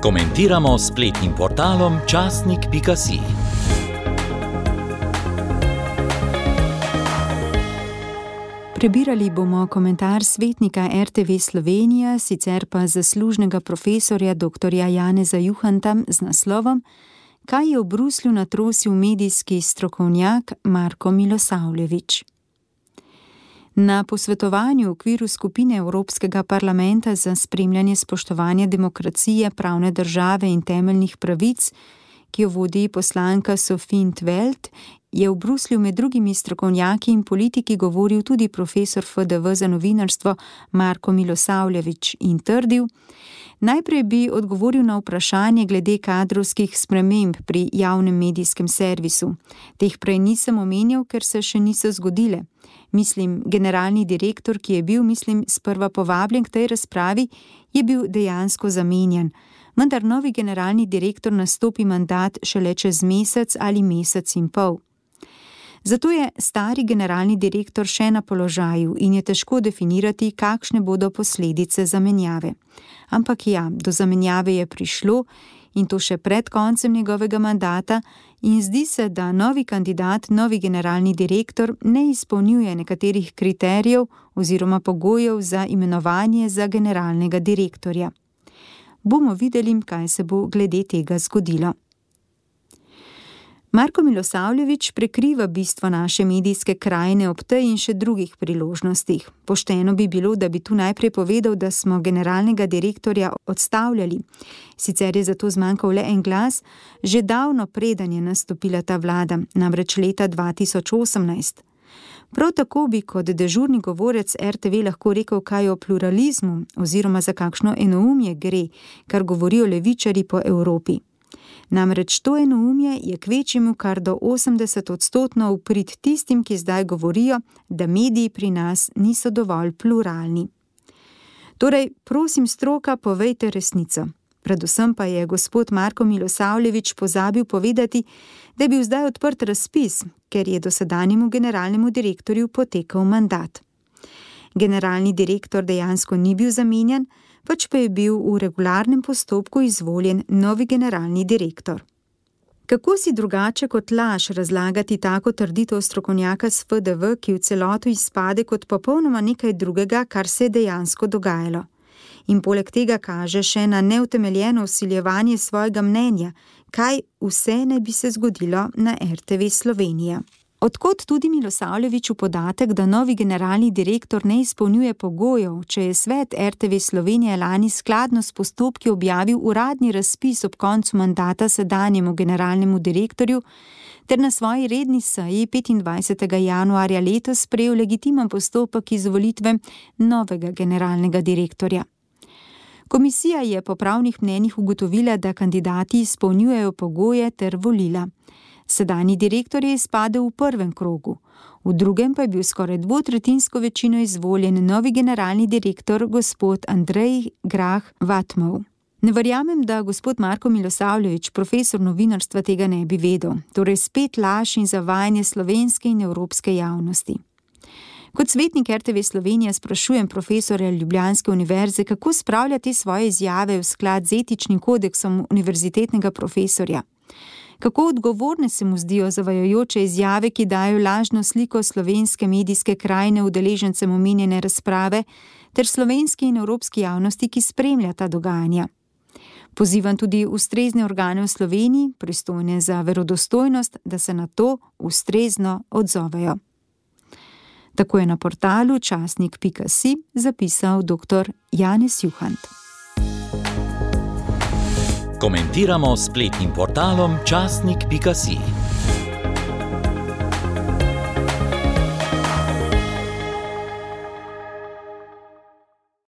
Komentiramo s spletnim portalom časnik.si. Prebirali bomo komentar svetnika RTV Slovenija, sicer pa zaslužnega profesorja dr. Janeza Juhanta z naslovom Kaj je v Bruslju natrosil medijski strokovnjak Marko Milosavljević. Na posvetovanju v okviru skupine Evropskega parlamenta za spremljanje spoštovanja demokracije, pravne države in temeljnih pravic, ki jo vodi poslanka Sophie in 't Veld, je v Bruslju med drugimi strokovnjaki in politiki govoril tudi profesor FDV za novinarstvo Marko Milosavljević in trdil: najprej bi odgovoril na vprašanje glede kadrovskih sprememb pri javnem medijskem servisu. Teh prej nisem omenjal, ker se še niso zgodile. Mislim, generalni direktor, ki je bil, sprva povabljen k tej razpravi, je bil dejansko zamenjan. Vendar novi generalni direktor nastopi mandat šele čez mesec ali mesec in pol. Zato je stari generalni direktor še na položaju in je težko definirati, kakšne bodo posledice zamenjave. Ampak ja, do zamenjave je prišlo in to še pred koncem njegovega mandata in zdi se, da novi kandidat, novi generalni direktor ne izpolnjuje nekaterih kriterijev oziroma pogojev za imenovanje za generalnega direktorja. Bomo videli, kaj se bo glede tega zgodilo. Marko Milosavljević prekriva bistvo naše medijske krajine ob tej in še drugih priložnostih. Pošteno bi bilo, da bi tu najprej povedal, da smo generalnega direktorja odstavljali. Sicer je zato zmanjkal le en glas, že davno preden je nastopila ta vlada, namreč leta 2018. Prav tako bi kot dežurni govorec RTV lahko rekel kaj o pluralizmu oziroma za kakšno enoumje gre, kar govorijo levičarji po Evropi. Namreč to enoumje je kvečjemu kar do 80% v prid tistim, ki zdaj govorijo, da mediji pri nas niso dovolj pluralni. Torej, prosim stroka, povejte resnico. Predvsem pa je gospod Marko Milosavljević pozabil povedati, da je bil zdaj odprt razpis, ker je dosedanjemu generalnemu direktorju potekal mandat. Generalni direktor dejansko ni bil zamenjan, pač pa je bil v regularnem postopku izvoljen novi generalni direktor. Kako si drugače kot laž razlagati tako trditev strokovnjaka s FDV, ki v celoto izpade kot popolnoma nekaj drugega, kar se je dejansko dogajalo? In poleg tega kaže še na neutemeljeno vsiljevanje svojega mnenja, kaj vse ne bi se zgodilo na RTV Slovenija. Odkot tudi Milosavljeviću podatek, da novi generalni direktor ne izpolnjuje pogojev, če je svet RTV Slovenije lani skladno s postopki objavil uradni razpis ob koncu mandata sedanjemu generalnemu direktorju, ter na svoji redni seji 25. januarja letos sprejel legitimen postopek izvolitve novega generalnega direktorja. Komisija je po pravnih mnenjih ugotovila, da kandidati izpolnjujejo pogoje ter volila. Sedanji direktor je izpadel v prvem krogu, v drugem pa je bil skoraj dvotretjinsko večino izvoljen novi generalni direktor gospod Andrej Grah Vatmov. Ne verjamem, da gospod Marko Milosavljević, profesor novinarstva, tega ne bi vedel, torej spet laž in zavajanje slovenske in evropske javnosti. Kot svetnik RTV Slovenija sprašujem profesorja Ljubljanske univerze, kako spravlja te svoje izjave v sklad z etičnim kodeksom univerzitetnega profesorja. Kako odgovorne se mu zdijo zavajajoče izjave, ki dajo lažno sliko slovenske medijske krajine udeležencem omenjene razprave, ter slovenski in evropski javnosti, ki spremlja ta dogajanja. Pozivam tudi ustrezne organe v Sloveniji, pristojne za verodostojnost, da se na to ustrezno odzovejo. Tako je na portalu časnik.si zapisal dr. Janez Juhant. Komentiramo s spletnim portalom časnik.si.